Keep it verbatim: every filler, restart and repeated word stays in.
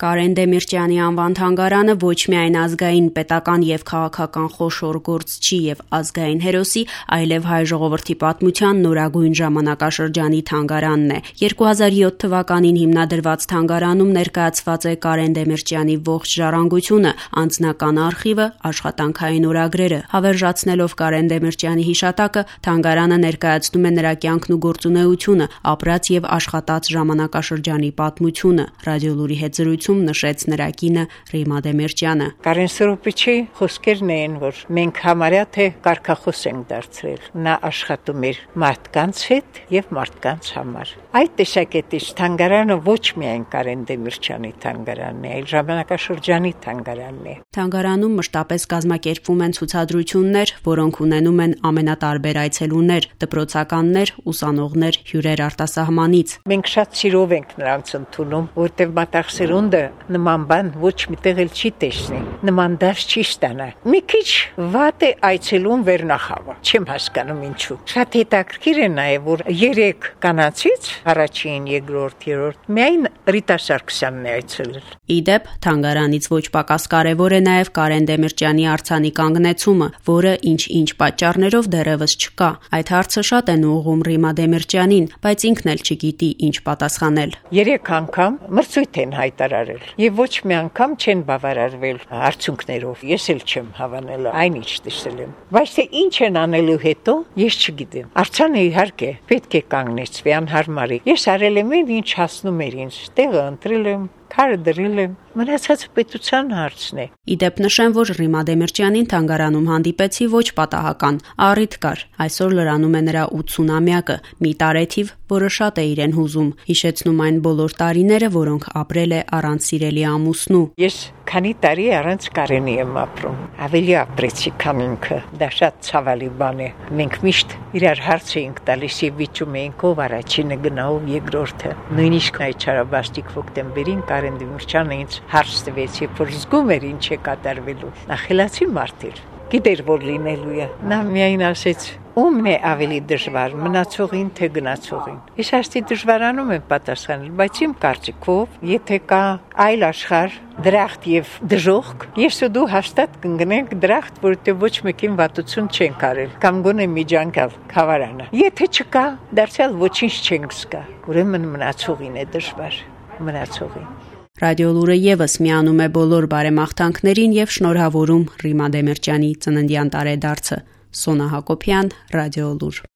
Կարեն Դեմիրճյանի անվան թանգարանը ոչ միայն ազգային, պետական եւ քաղաքական խոշոր գործչի եւ ազգային հերոսի, այլև հայ ժողովրդի պատմության նորագույն ժամանակաշրջանի թանգարանն է։ երկու հազար յոթ թվականին հիմնադրված թանգարանում ներկայացված է Կարեն Դեմիրճյանի ողջ ժառանգությունը, անձնական արխիվը, աշխատանքային օրագրերը։ Հավերժացնելով Կարեն Դեմիրճյանի հիշատակը, թանգարանը ներկայացնում է նրա կյանքն ու գործունեությունը, ապրած եւ աշխատած ժամանակաշրջանի պատմությունը։ Ռադիոլուրի հետ զրույցում նշեց նրա կինը Ռիմա Դեմիրճյանը։ Կարեն Սրոպիչի խոսքերն էին, որ մենք համարյա թե կարգախոս ենք դարձրել։ Նա աշխատում էր մարդկանց հետ եւ մարդկանց համար։ Այդ տեսակետից թանգարանը ոչ միայն Կարեն Դեմիրճյանի թանգարանն է, այլ ժամանակաշրջանի թանգարանն է։ Թանգարանում մշտապես կազմակերպվում են ցուցադրություններ, որոնք ունենում են ամենատարբեր այցելուներ, դպրոցականներ, ուսանողներ, հյուրեր արտասահմանից։ Մենք շատ սիրով ենք նրանց ընդունում, որտեղ մտաղ սերունդը նման բան ոչ միտեղ էլ չի տեսնի, նման դաշ չի ստանա։ Մի քիչ վատ է այցելուն վերնախավը, չեմ հասկանում ինչու։ Շատ հետաքրքիր է նաև, որ երեք կանացից առաջին, երկրորդ, երրորդ միայն Ռիտա Սարգսյանն է այցելել։ Իդեպ թանգարանից ոչ պակաս կարևոր է նաև Կարեն Դեմիրճյանի արձանի կանգնեցումը, որը ինչ-ինչ պատճառներով դեռևս չկա։ Այդ հարցը շատ են ուղղում Ռիմա Դեմիրճյանին, բայց ինքն էլ չգիտի ինչ պատասխանել։ Երեք անգամ մրցույթ են հայտարարել եւ ոչ մի անգամ չեն բավարարվել արդյունքներով։ Ես էլ չեմ հավանել այնինչ տեսել եմ։ Բայց թե ինչ են անելու հետո, ես չգիտեմ։ Արձանը իհարկե պետք է կանգնեցվի անհարմարի։ Ես արել եմ ինչ հասնում էր ինձ, տեղը ընտրել եմ, քարը դրել եմ, մնացածը պետության հարցն է։ Իդեպ նշեմ, որ Ռիմա Դեմիրճյանին թանգարանում հանդիպեցի ոչ պատահական, առիթ կար։ Այսօր լրանում է նրա ութսունամյակը, մի տարեթիվ, որը շատ է իրեն հուզում, հիշեցնում այն բոլոր տարիները, որոնք ապրել է առանց սիրելի ամուսնու։ Ես քանի տարի առանց Կարենի եմ ապրում, ավելի ապրեցի, քան ինքը, դա շատ ցավալի բան է։ Մենք միշտ իրար հարց էինք տալիս եւ վիճում էինք ով առաջինը գնա, ով երկրորդը։ Նույնիսկ այդ չարաբաստիկ հոկտեմբերին Կարեն Դեմիրճյանը ինձ հարց տվեց, երբ որ զգում էր ինչ է կատարվելու։ Նա խելացի մարդ էր, գիտեր որ լինելու է։ Նա միայն ասեց. «Ումն է ավելի դժվար, մնացողին թե գնացողին»։ Ես հաստի դժվարանում եմ պատասխանել, բայց իմ կարծիքով, եթե կա այլ աշխարհ, դրախտ եւ դժոխք, ես ու դու հաստատ կընկնենք դրախտ, որտեղ ոչ մեկին վատություն չենք արել, կամ գոնե միջանկալ խավարանը։ Եթե չկա, դարձյալ ոչինչ չենք զգա։ Ուրեմն մնացողին է դժվար, մնացողին։ Ռադիոլուրը եւս միանում է բոլոր բարեմաղթանքներին եւ շնորհավորում Ռիմա Դեմիրճյանի ծննդյան տարեդարձը։ Սոնա Հակոբյան, Ռադիոլուր։